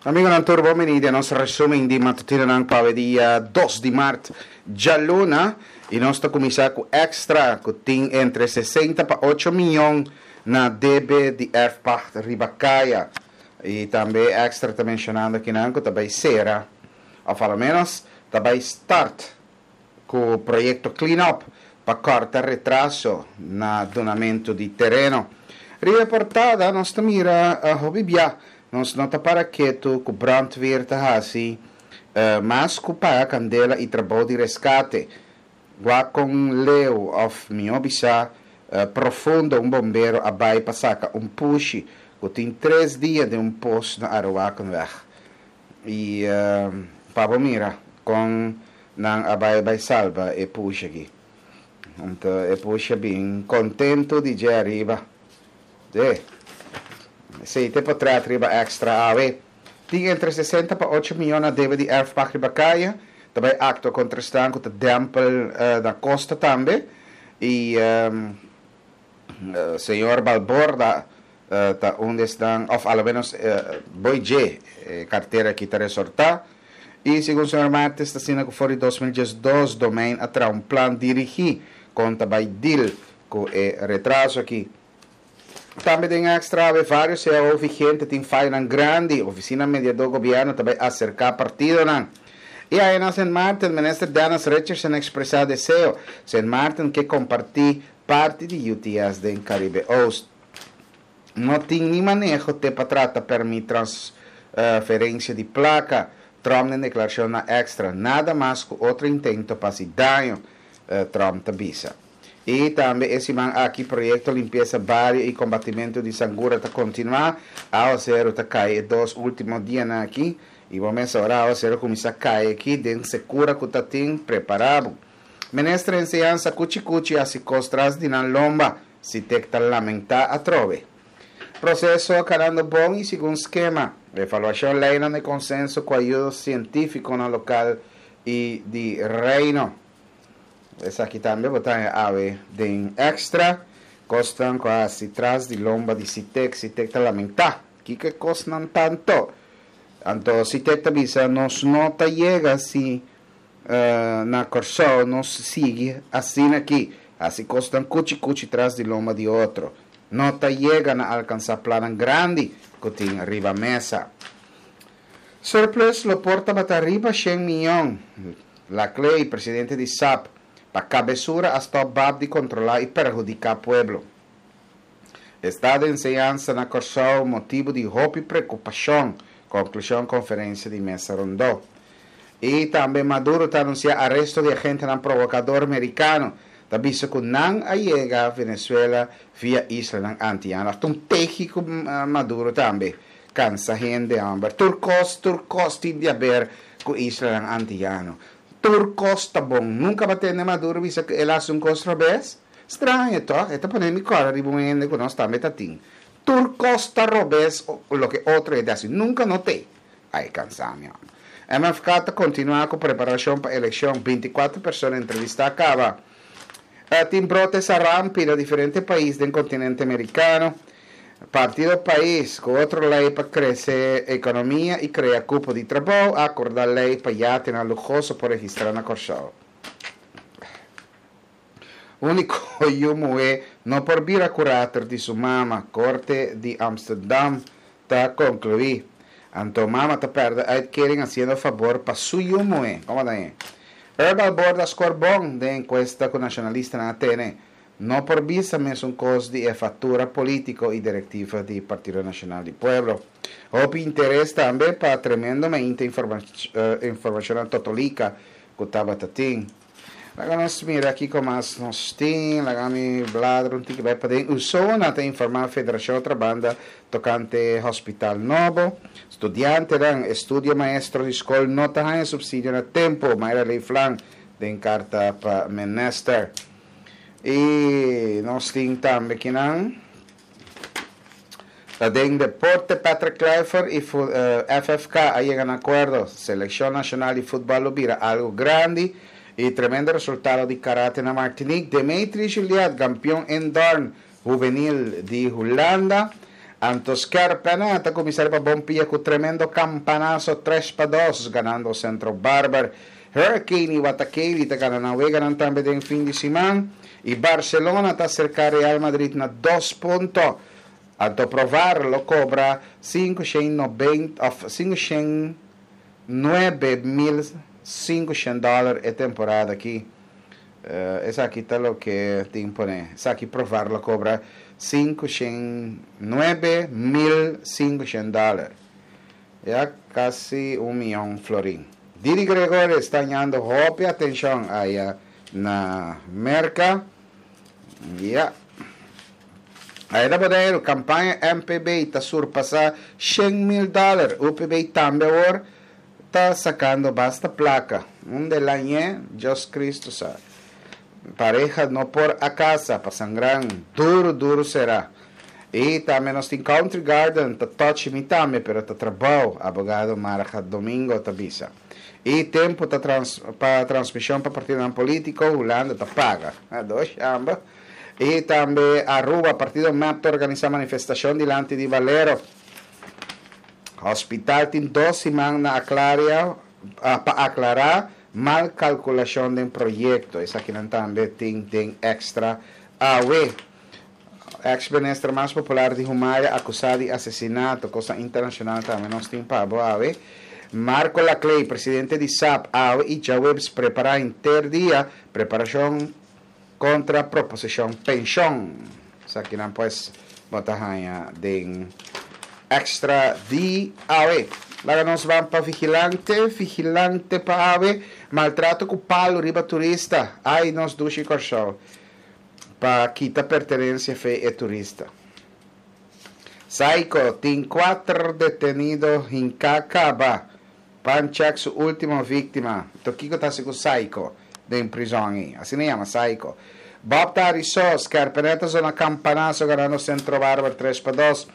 Amigonan tur bon bini den nos resumen di matutinonan pa awe dia dos di mart djaluna y nos ta cuminsa cu Extra cu tin entre 60 pa ocho miyon na debe di erfpacht riba caya y tambe Extra ta mencionando akinan cu ta bay cera of a lo menos ta bay start cu proyecto Clean Up pa corta retraso na dunamento di tereno. Riba e portada nos ta mira hopi bia nos no ta para ketu cu brandweer ta haci mas cu paga candela y trabou di rescate. Wak con leu of mihor bisa profundo un bombero a bay pa saca un pushi cu tin tres dia den un pos na Aruakenweg. Y pa bo mira con nan a bay bay salba e pushi aki. Anto e pushi a bin contento di dje ariba. De. Esey ta e potret riba Extra awe. Tin entre 60 pa ocho miyon na debe di erfpacht riba caya. Ta bay actua contra esnan cu ta dempel na costa tambe. Y señor Balborda ta un di esnan, of a lo menos boy dje e cartera aki ta resorta. Y segun señor Martes ta asina cu for di 2012 Domein a traha un plan dirigi con ta bay deal cu e retraso aki. Tambe den Extra awe varios cao vigente tin fayonan grandi, Oficina Mediador Gobierno ta bay acerca partidonan. Y aya na Sint Maarten, Minister Dennis Richardson a expresa deseo, Sint Maarten ke comparti parti di UTS den Caribe Oost. No tin ni maneho te pa trata permit transferencia di placa, Trump den declaracion na Extra. Nada mas cu otro intento pa haci daño, Trump ta bisa. Y tambe e siman aki proyecto limpieza bario y combatimento di sangura ta continua. Awacero ta cay e dos ultimo dianan aki y bo mes ora awacero cuminsa cay aki den secura cu ta tin, prepara bo. Minister Enseñansa cuchi cuchi haci cos tras di nan lomba. Sitek ta lamentá atrobe. Proseso a kanando bon i segun skema. Evaluashon leinan di konsenso ku ayudo sientífikonan lokal i di Reino. Esaki tambe bo ta haña awe den Extra. Kosnan ku a hasi tras di lomba di Sitek. Sitek ta lamentá. Kiko e kosnan ta anto? Anto Sitek ta bisa nos no ta yega si Na Kòrsou nos sigui asina aki, hasi kosnan kuchi kuchi tras di lomba di otro. No ta yega na alkansá plannan grandi ku tin riba mesa. Surplus lo por tabata riba shen miyon, Laclay, presidente di sap, pa kabesura a stòp bab di kontrolá i perhudiká pueblo. Estado enseñansa na Kòrsou motibu di hopi preokupashon, konklushon konferensia di mesa rondó. I tambe Maduro ta anunsiá aresto di agentenan provokador merikano. Ta bisa ku nan a yega Venezuela via islanan antiano. Ta un tehi ku Maduro tambe kansa hende hòmber. Tur kos, tur kos tin di haber ku islanan antiano. Tur kos ta bon. Nunka bo a tende Maduro bisa ku el a hasi un kos robes? Straño tòg? E ta pone mi kòrda riba un hende ku nos tambe ta tin. Tur kos ta robes loke otro hende hasi. Nunka no t'e. Ai kansa mi hòmber. MFK ta kontinuá ku preparashon pa elekshon, 24 persona entrevistá kaba. Tin brote sarampi na diferente pais den kontinente merikano. Partido Pais, ku otro lei pa krese ekonomia i krea kupo di trabou, a akordá lei pa yatenan luhoso por registrá na Kòrsou. Úniko yu muhé no por bira kurator di su mama, Korte di Amsterdam ta konkluí. Anto mama ta pèrdè uitkering hasiendo fabor pa su yu muhé. Komo ta e? Herbal Board a skor bon den enkuesta ku nashonalistanan a tene. No por bisa mesun kos di e fatura polítiko i direktiva di Partido Nashonal di Pueblo. Hopi interes tambe pa tremendo meinte informashonnan totolika ku tabata tin. Laga nos mira kiko mas nos tin. Laga mi bladra un tiki bai paden. USONA ta informá Federashon Otrabanda tokante hospital nobo. Studiantenan, estudio maestro di skol no ta haña supsidio na tempu, Mayra Leeflang den karta pa minister. I nos tin tambe kinan. Ta den deporte Patrick Kluivert y FFK a yega na acuerdo. Seleccion nacional di futbal lo bira algo grandi y tremendo resultado di karate na Martinique. Demetri Juliet, campeon indoorn juvenil di Hulanda. Anto Skerpene ta kuminsá riba bon pia ku tremendo kampanaso 3-2 ganando Centro Barber. Hurricane i Watakeli ta gana nan weganan tambe den fin di siman i Barcelona ta aserká Real Madrid na dos punto. Anto Provar lo kobra 590 òf 509,500 dòler e temporada aki. Esaki ta loke tin pone. Esaki Provar lo kobra 509,500 dòler. Ya kasi un miyon florin. Didi Gregorius ta hañando hopi atenshon aya na Merka. Ya. Aya na Boneiru, kampaña MPB ta surpasá 100,000 dòler. UPB tambe awor ta sakando basta plaka. Unda el a ñe, Dios Cristo sa. Pareha no por a kasa, pa sangran duru duru sera. I tambe nos tin Country Garden, ta touch mi tambe, pero ta trabou, abogado Marga Domingo ta bisa. I tempu ta trans pa transmishon pa partidonan politiko, Hulanda ta paga. Dos shamba. I tambe Aruba, partido mep ta organisa manifestashon dilanti di Valero. Hospital tin dos siman na aclaria pa aclara mal calculacion den proyecto. Esakinan tambe tin den extra awe. Ex minister mas popular di Humaya acusa di asesinato. Cosnan internacional tambe nos tin pa bo awe. Marco Laclay, presidente di sap, awe y djaweps prepara henter dia preparacion contra proposicion pension. Esakinan pues bo ta haña den extra di awe. Laga nos ban pa vigilante, vigilante pa awe. Maltrato ku palu riba turista. Ai nos dushi Kòrsou. Pa kita pertenensia fe e turista. Saiko tin kuater detenido hinká kaba. Panchak su ultimo victima. To kiko ta hasi ku Saiko den prizon ei? Asina e yama Saiko. Bob ta hari so, Skerpenet a zona campanazo ganando Centro Barber 3-2.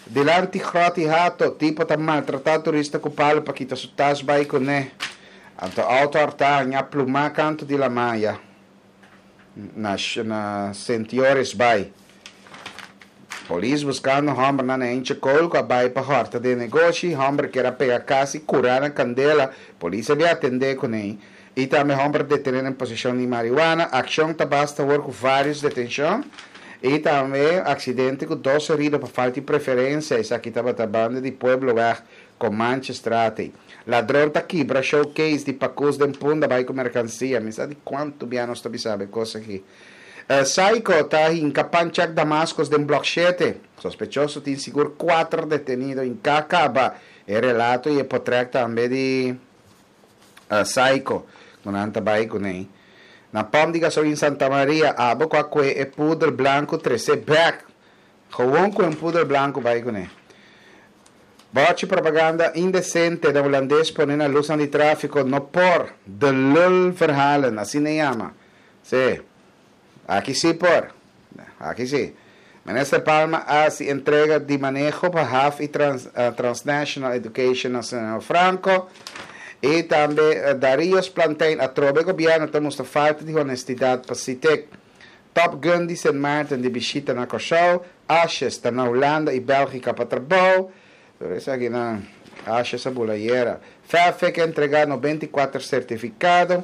Dilanti Grot y Hato, tipo ta maltrata turista ku palo pa kita su tas bai kuné. Anto auto horta haña pluma kanto di lamaya na na Sint Joris bai. Polis buskando hòmbernan na Enche Kool ku a bai pa hòrta den negoshi. Hòmber kier a pega kas i kurá na kandela. Polis a bin atendé kuné. I tambe hòmber detené den poseshon di mariwana. Akshon ta basta awor ku vários detenshon. I tambe aksidente ku dos herido pa falta di preferensia. Esaki tabata banda di Puebloweg Comanchestraat. Ladron ta kibra showcase di pakus den Punda bai ku merkansia. Mi sa di kuantu bia nos ta bisa e kos aki. Saiko ta hinka Panchak Damascus den blok shete. Sospechoso tin sigur kuater detenido hinká kaba. E relato i e potrèk tambe di Saiko ku nan ta bai kuné. Na pòmp di gasolin Santa Maria abo ku a kue e pudel blanku tresé bèk. Gewoon ku un pudel blanku bai kuné. Bòchi propaganda indesente na hulandes pone na lusnan di tráfiko no por, de lul verhalen, asina e yama. Sí. Aki sí por. Aki sí. Minister Palma a hasi entrega di maneho pa haf i Transnational Education na Señor Franco. I tambe Darius Plantein atrobe gobièrnu ta mustra falta di honestidat pa Sitek. Top Gun di Sint Maarten di bishita na Kòrsou, Ashes ta na Hulanda i Bèlgika pa trabou. Tur esakinan Ashes a bula ayera. Fafik a entregá 94 sertifikado.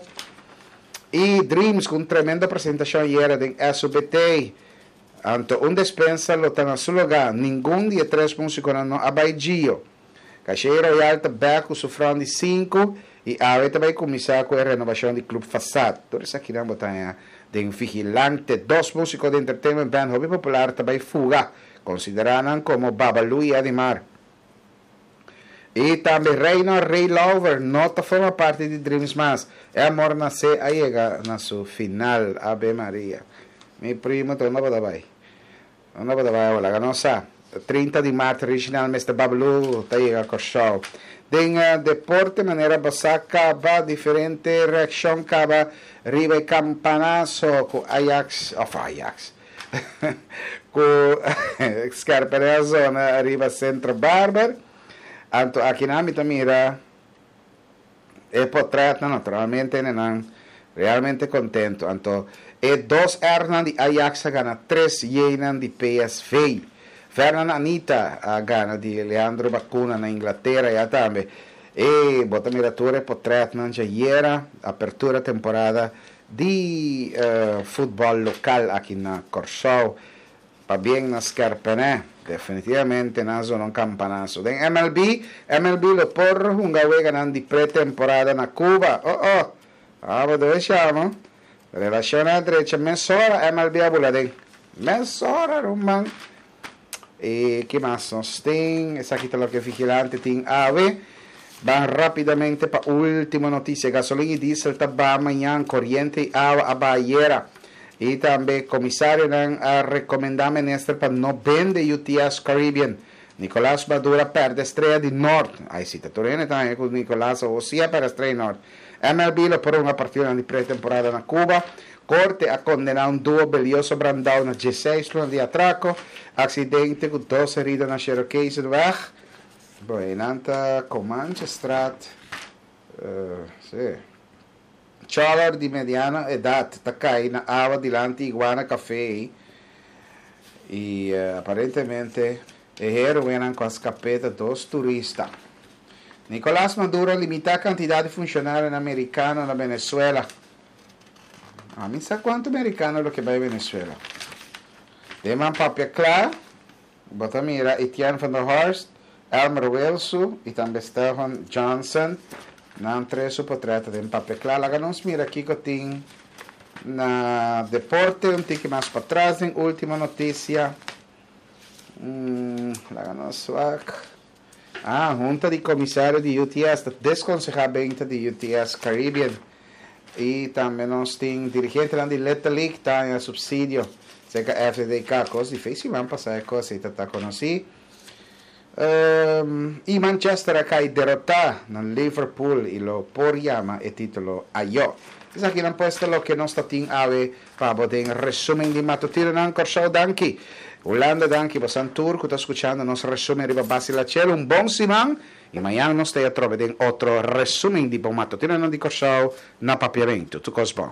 I Dreams ku un tremendo presentashon ayera den SUBT. Anto un despensa lo ta na su lugá. Ningun di e tres músikonan no a bai Gio. Caché Royal ta bèk ku su front di sinku i awe ta bai kuminsá ku e renobashon di Club Fasad. Tur esakinan bo ta haña den Vigilante. Dos músiko di entertainment band hopi popular ta bai fuga. Konsiderá nan komo Babalu i Adimar. I tambe Reino Ray Lauver no ta forma parti di Dreams mas. E amor nasé a yega na su final. Ave Maria. Mi primo ta unda bo ta bai? Unda bo ta bai awe? Laga nos sa. 30 di mart Reginald Mister Babalu ta yega Kòrsou. Den deporte manera bo sa kaba diferente reakshon kaba riba e kampanaso ku Ajax òf Ajax ku Scherpenheel a zona riba Centro Barber. Anto akinan mi ta mira E potretnan naturalmente nenan realmente contento. Anto e dos R'nan di Ajax a gana tres Y'nan di PSV. Vurnon Anita a gana di Leandro Bacuna na Inglatera ya tambe. E bo ta mira tur e potretnan djayera, apertura temporada di futbòl lokal aki na Kòrsou. Pabien na Skèrpènè, definitivamente nan a zona un kampanaso. Den MLB, MLB lo por hunga weganan di pre-temporada na Cuba. Oh oh! Abo debe shama. Relashonnan a drecha mesora MLB a bula den. Mesora ruman. I ki mas nos tin? Esaki ta loke Vigilante tin awe. Ban rapidamente pa ultimo notisia. Gasolin i diesel ta baha mañan, koriente i awa a baha ayera. I tambe komisarionan a rekomendá minister pa no bende UTS Caribbean. Nicolas Maduro a pèrdè strea di Nort. Ai si ta tur hende ta haña ku Nicolas awor si a pèrdè strea di Nort. MLB lo por hunga partidonan di pretemporada na Cuba. Korte a kondená un duo Belioso Brandao na dieseis luna di atrako. Aksidente ku dos herido na Cherokeesenweg. Bo einan ta Comanchestraat. Si. Choller di mediano edat ta kai na awa dilanti Iguana Café i aparentemente e heroenan ku a skap'é ta dos turista. Nicolas Maduro a limitá kantidat di funshonarionan merikano na Venezuela. Ami sa kuantu merikano lo ke bai Venezuela. Den man papia kla, bo ta mira Etienne van der Horst, Elmer Wilsu i tambe Stephen Johnson. Nan tres su potret ta den papia kla. Laga nos mira kiko tin na deporte un tiki mas patras den ultimo notisia. Laga nos wak. Ah, Hunta di Komisario di UTS ta deskonsehá benta di UTS Caribbean. I tambe nos tin dirigentenan di Little League ta haña supsidio serka FDDK. Kos difísil siman pasá e kos ei ta ta konosí. I Manchester a kai derotá na Liverpool i lo por yama e título ayó. Esakinan pues ta loke nos ta tin awe pa bo den resumen di matutinonan. Kòrsou danki. Hulanda danki. Bosan tur ku ta skuchando nos resumen riba Basi La Chelo un bon siman i mañan nos ta e atrobe den otro resumen di bo matutinonan di Kòrsou na Papiamentu. Tur kos bon.